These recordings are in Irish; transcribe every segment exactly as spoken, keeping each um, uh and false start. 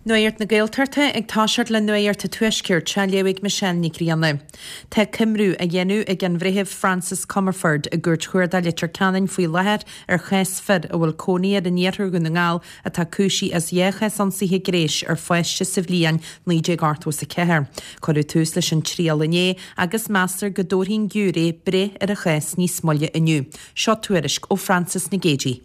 Nuacht na Gaeltachta ag toiseacht le Nuacht an Tuaiscirt á léamh ag Michelle Ní Ghrianna. Tá coimriú á dhéanamh ag an Bhreitheamh Francis Comerford i gCúirt Chuarda Leitir Ceanainn faoi láthair ar chás fir a bhfuil cónaí air in iarthar Dhún na nGall atá cúisithe as dhá chás ionsaithe gnéis ar pháiste sa bhliain naoi déag ochtó is a ceathair. Cuireadh tús leis an triail inné agus meastar go dtabharfaidh an giúiré breith ar an chás níos moille inniu. Seo tuairisc ó Frances Nic Géadaigh.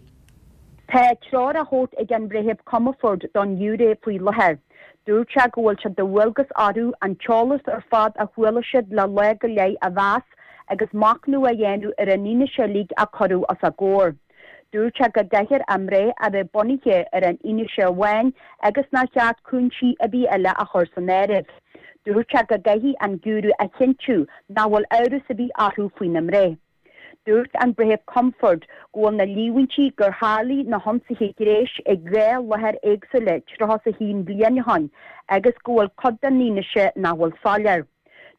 Tá treoir á thabhairt ag an Bhreitheamh Comerford don ghiúiré faoi láthair. Dúirt sé go bhfuil sé de dhualgas orthu an t-eolas ar fad a chuala siad le lá go leith a mheas agus machnamh a dhéanamh ar an fhianaise uilig a cuireadh os a gcomhair. Dúirt sé go gcaithfear a mbreith a bheith bunaithe ar an fhianaise amháin agus nár cheart cúinsí ar bith eile a chur san áireamh. Dúirt sé go gcaithfidh an giúiré a chinntiú nach bhfuil amhras ar bith orthu faoina mbreith. Dúirt an Breitheamh Comerford go bhfuil na líomhaintí gur tharlaigh na hionsaithe gnéis ag dhá láthair éagsúla tríocha is a haon bliain ó shin agus go bhfuil cuid den fhianaise nach bhfuil soiléir.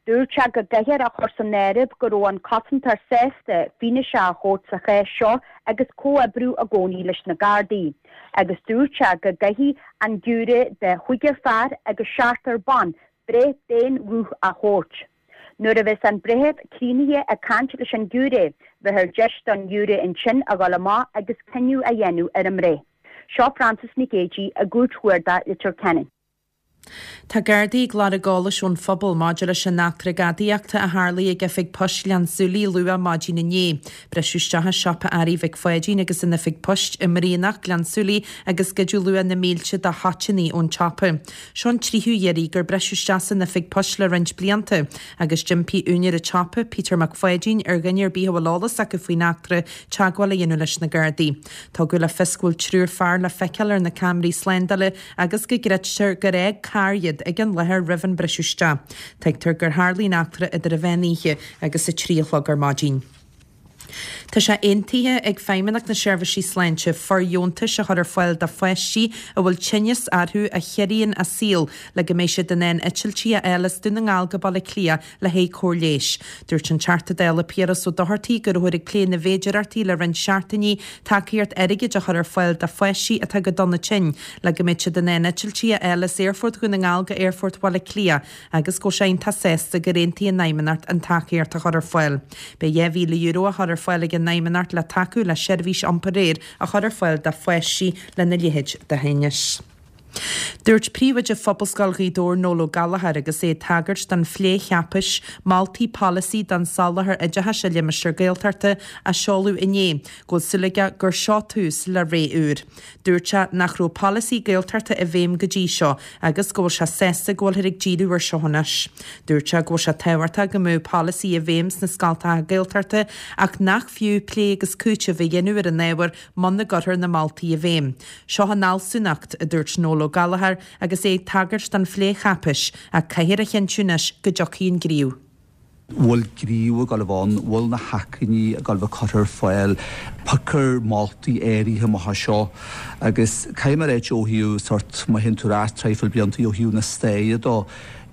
Dúirt sé go gcaithfear a chur san áireamh go raibh an cosantóir sásta fianaise a thabhairt sa chás seo agus comhoibriú i gcónaí leis na Gardaí, agus dúirt sé go gcaithfidh an giúiré de chúigear fear agus seachtar ban breith d'aon ghuth a thabhairt. Nuair a bheas an breitheamh críochnaithe ag caint leis an ghiúiré, beifear deis don ghiúiré ansin a dhul amach agus cinneadh a dhéanamh ar an mbreith. Seo Frances Nic Géadaigh i gCúirt Chuarda Leitir Ceanainn. Tá Gardaí ag lorg eolais ón phobal maidir leis an eachtra gadaíochta a tharlaigh ag oifig poist Ghleann tSúilí luath maidin inné. Briseadh isteach i siopa earraí Mhic Pháidín agus in oifig poist i mBrianach, Gleann tSúilí agus goideadh luach na mílte de thoiteanna ón tsiopa. Seo an tríú iarraidh gur briseadh isteach san oifig poist le roinnt blianta agus d'impigh úinéir an tsiopa, Peter Mac Pháidín, ar dhuine ar bith a bhfuil eolas acu faoin eachtra teagmháil a dhéanamh leis na Gardaí. Tugadh le fios go bhfuil triúr fear le feiceáil ar na ceamaraí slándála agus go gcreidtear gur fhág carr iad ag an láthair roimh an briseadh isteach. Tuigtear gur tharlaigh an eachtra idir an mheán oíche agus a trí a chlog ar maidin. Tá sé aontaithe ag Feidhmeannacht na Seirbhísí Sláinte fóirdheontais a chur ar fáil do pháistí a bhfuil tinneas orthu a chiorraíonn a saol le go mbeidh siad in ann eitiltí a fháil as Dún na nGall go Baile Átha Cliath le haghaidh cóir leighis. Dúirt an Teachta Dála Piaras Ó Dochartaigh go rabhthar ag plé na bhféidearthachtaí le roinnt seachtainí tacaíocht airgid a chur ar fáil do pháistí atá go dona tinn le go mbeidh siad in ann eitiltí a fháil as Aerfort Dhún na nGall go Aerfort Bhaile Átha Cliath agus go bhfuil sé iontach sásta gur aontaigh an Fheidhmeannacht an tacaíocht a chur ar fáil. Beidh dhá mhíle euro á chur ar fáil ag an Fheidhmeannacht le tacú le seirbhís iompair aeir a chur ar fáil do pháistí lena leithéid de thinneas. Dúirt príomhoide Phobalscoil Ghaoth Dobhair Noel Ó Gallchóir agus é ag tagairt don phlé cháipéis moltaí polasaí don soláthar oideachais i limistéar Gaeltachta a seoladh inné go bhfuil súil aige gur seo tús le ré úr. Dúirt sé nach raibh polasaí Gaeltachta i bhfeidhm go dtí seo agus go bhfuil sé sásta go bhfuilthear ag díriú air seo anois. Dúirt sé go bhfuil sé tábhachtach go mbeadh polasaí i bhfeidhm sna scoltacha Gaeltachta ach nach fiú plé agus cúiteamh a dhéanamh ar an ábhar muna gcuirfear na moltaí i bhfeidhm. Seo an fhealsúnacht, a dúirt Noel Ó Gallchóir agus é ag tagairt don phlécháipéis, ach caithfear a chinntiú anois go dtiocfaidh an gníomh. bhfuil gníomh ag dul a bheith ann, bhfuil na hacmhainní ag dul a bheith curtha ar fáil, piocfar moltaí áirithe amach as seo agus caithfidh mé a ráit ó thaobh sort má théann tú ar ais traidhfil blianta ó thaobh na staire dó,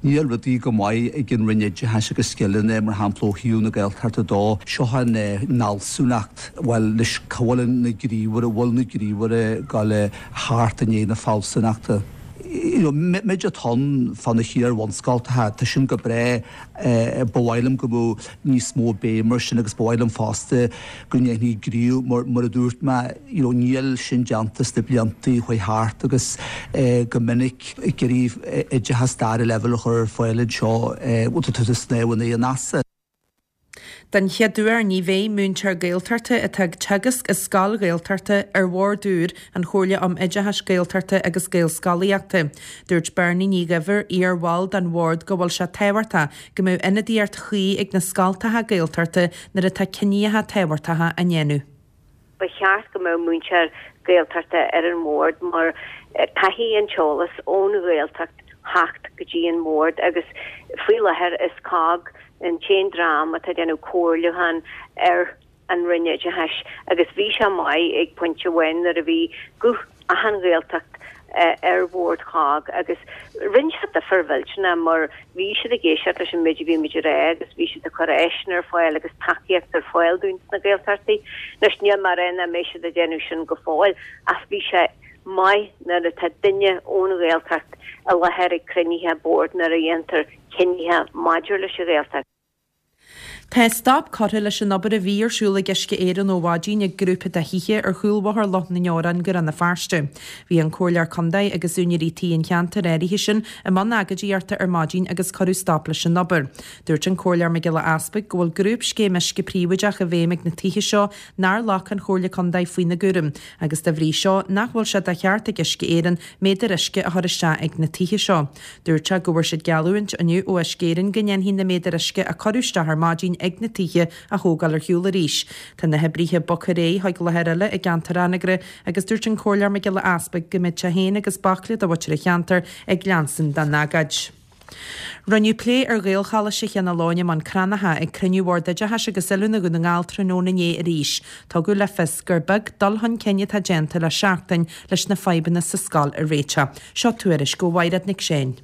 níl rudaí go maith ag an Roinn Oideachais agus Scileanna mar shampla ó thaobh na Gaeltachta dó, seo an fhealsúnacht, bhuel anois cá bhfuil na gníomhartha, bhfuil na gníomhartha ag dul a theacht i ndiaidh na fealsúnachta. You know, méid atá ann fá na hiar-bhunscoltacha, tá sin go breá, ba mhaith liom go mbeadh níos mó béim air sin agus ba mhaith liom fosta go ndéanfaí gníomh mar, mar a dúirt mé, you know, níl sin déanta sna blianta a chuaigh thart agus go minic ag iarraidh oideachas dara leibhéal a chur ar fáil anseo, bhuel tá tú ag snámh in aghaidh an easa. Den chéad uair ní bheidh múinteoir Gaeltachta atá ag teagasc i scoil Ghaeltachta ar bhord úr an Chomhairle um Oideachais Gaeltachta agus Gaelscolaíochta. Dúirt Bernie Ní Dhuibhir, iar-bhall den bhord go bhfuil sé tábhachtach go mbeadh ionadaíocht chuí ag na scoltacha Gaeltachta nuair atá cinneadh tábhachtacha á ndéanamh. Ba cheart go mbeadh múinteoir Gaeltachta ar an mbord mar caithfidh an t-eolas ón Ghaeltacht theacht go dtí an mbord agus faoi láthair is COGG an t-aon dream atá ag déanamh comhairliúchán ar an Roinn Oideachais agus bhí sé maith ag pointe amháin nuair a bhí guth achan Ghaeltacht ar bhord COGG agus rinne sé difear mhillteanach mar bhí siad ag éisteacht leis an méid a bhí muid a rá agus bhí siad ag cur áiseanna ar fáil agus tacaíocht ar fáil dúinn sna Gaeltachtaí. Anois níl mé ag rá nach mbeidh siad ag déanamh sin go fóill ach bhí sé maith nuair atá duine ón Ghaeltacht i láthair ag cruinnithe boird nuair a dhéantar cinnithe maidir leis an Ghaeltacht. Tá stop curtha leis an obair a bhí ar siúl ag Uisce Éireann ó mhaidin ag grúpa de thithe ar chúl Bhóthar Loch na nDeorán i gCarn na Feirste. Bhí an Comhairleoir Contae agus úinéirí tí an cheantair áirithe sin i mbun agóidíochta ar maidin agus cuireadh stop leis an obair. Dúirt an Comhairleoir Mac Giolla Easpaig go bhfuil grúpscéim uisce príobháideach i bhfeidhm ag na tithe seo nár ghlac an Chomhairle Contae faoina gcúram agus dá bhrí seo nach bhfuil sé de cheart ag Uisce Éireann méadair uisce a chur isteach ag na tithe seo. Dúirt sé go bhfuair siad geallúint inniu ó Uisce Éireann go ndéanfaí na méadair uisce a cuireadh isteach ar maidin ag na tithe a thógáil ar shiúl arís. Tá na hoibrithe bogtha ar aghaidh chuig láthair eile i gceantar Anagaire agus dúirt an Comhairleoir Mac Giolla Easpaig go mbeidh sé féin agus baicle de mhuintir an cheantair ag leanstan den agóid. Rinneadh plé ar Ghaelcholáiste Cheann Fhaola i mBun Cranncha ag cruinniú Bhord Oideachais agus Oiliúna Dhún na nGall tráthnóna inné arís. Tugadh le fios gur beag dul chun cinn atá déanta le seachtain leis na fadhbanna sa scoil a réiteach. Seo tuairisc ó Mhaighread Nic Seáin.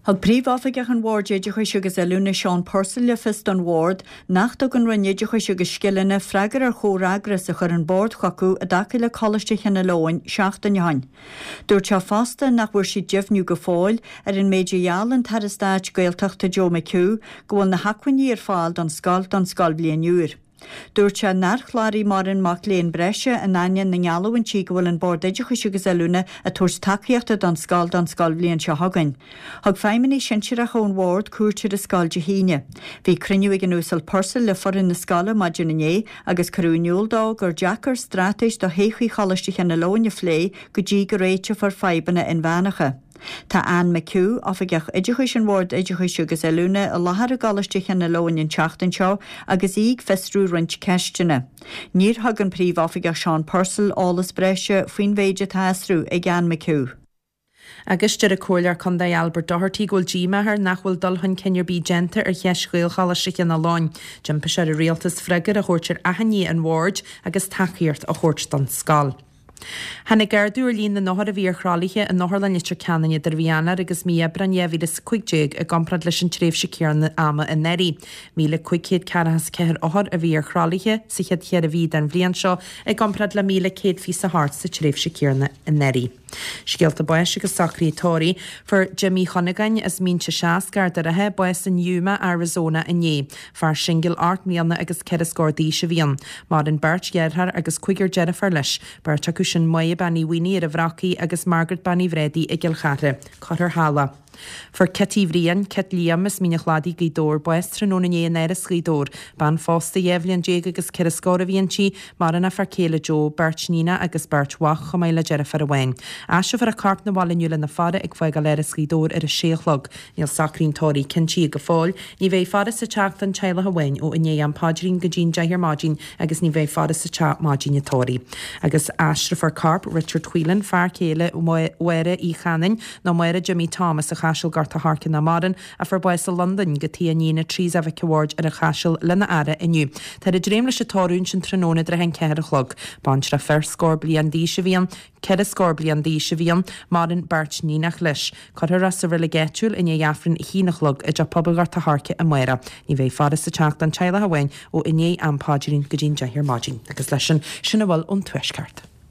Thug Príomhoifigeach an Bhoird Oideachais agus Oiliúna Seán Purcell le fios don Bhord nach dtug an Roinn Oideachais agus Scileanna freagra ar chomhfhreagras a chuir an Bord chucu i dtaca le Coláiste Chionn Fhaoláin seachtain ó shin. Dúirt sé fosta nach bhfuair siad deimhniú go fóill ar an méid a gheall an tAire Stáit Gaeltachta Joe McHugh go bhfuil na hacmhainní ar fáil don scoil don scoilbhliain úr. Dúirt sé nár chláraigh mórán mac léinn breise in ainneoin na ngeallúintí go bhfuil an Bord Oideachais agus Oiliúna ag tabhairt tacaíochta don scoil don scoilbhliain seo chugainn. Thug feidhmeannaigh shinsearacha ón Bhord cuairt ar an scoil Dé hAoine. Bhí cruinniú ag an Uasal Purcell le foireann na scoile maidin inné agus cuireadh in iúl dó gur deacair straitéis do thodhchaí Choláiste Chionn Fhaoláin a phlé go dtí go réiteofar fadhbanna inmheánacha. Tá Anne McHugh, Oifigeach Oideachais an Bhoird Oideachais agus Oiliúna i láthair i gColáiste Chionn Fhaoláin an tseachtain seo agus í ag fiosrú roinnt ceisteanna. Níor thug an Príomhoifigeach Seán Purcell eolas breise faoin mhéid atá á fhiosrú ag Anne McHugh. Agus deir an Comhairleoir Contae Albert Doherty go bhfuil díomá air nach bhfuil dul chun cinn ar bith déanta ar cheist Ghaelcholáiste Chionn Fhaoláin. D'impigh sé ar an rialtas freagra a thabhairt ar achainí an bhoird agus tacaíocht a thabhairt don scoil. Tháinig ardú ar líon na n-othar a bhí ar thralaithe in Otharlann Leitir Ceanainn idir mhí Eanáir agus mí Aibreáin dhá mhíle is a cúig déag i gcomparáid leis an tréimhse céanna ama anuraidh. míle cúig chéad ceathracha is a ceathair othar a bhí ar thralaithe sa chéad cheithre mhí den bhliain seo i gcomparáid le míle céad fiche a hocht sa tréimhse céanna anuraidh. Scéalta báis agus socruithe tórraimh. Fuair Jimmy Chunagáin as Mínse Seas, gar do Ráithe, bás in Yuma, Arizona inné. Fear singil ocht mbliana agus ceithre scór d'aois a bhí ann. Maireann beirt dheartháir agus cúigear deirfiúr leis. Beirt acu sin Máire Bean Uí Mhaonaigh ar an Bhrocaigh agus Margaret Bean Uí Bhréadaí i gCill Chartha. Cuirfear Thalla. Fuair Kitty Bhriain, Kit Liam, as Mín an Chladaigh, Gaoth Dobhair, bás tráthnóna inné in Áras Ghaoth Dobhair. Bean phósta dhá bhliain déag agus ceithre scór a bhí inti, maireann a fear céile Joe, beirt níonach agus beirt mhac, chomh maith le deirfiúr amháin. Aistreofar a corp 'na bhaile inniu lena faire ag fágáil Áras Ghaoth Dobhair ar a sé a chlog. Níl socruithe an tórraimh cinntithe go fóill. Ní bheidh faire sa teach don teaghlach amháin ó i ndiaidh am paidrín go dtí an deich ar maidin agus ní bheidh faire sa teach maidin an tórraimh. Agus aistreofar corp Richard Whelan, fear céile Mháire Uí Chanainn, nó Máire Jimmy Thomas, a Chaiseal Gort a' Choirce nach maireann, a fuair bás i Londain, go tigh a iníne Teresa Mhic a' Bhaird ar an Chaiseal lena fhaire inniu. Táthar ag dréim leis an tórramh ansin tráthnóna i dtrátha an ceathair a chlog. Baintreach fear scór bliain d'aois a bhí ann, ceithre scór bliain d'aois a bhí ann, maireann beirt níonach leis. Cuirfear é sa reilig áitiúil i ndiaidh Aifreann a haon a chlog i dTeach Pobail Ghort a' Choirce amárach. Ní bheidh faire sa teach don teaghlach amháin ó i ndiaidh am paidrín go dtí an deich ar maidin. Agus leis sin, sin a bhfuil ón Tuaisceart.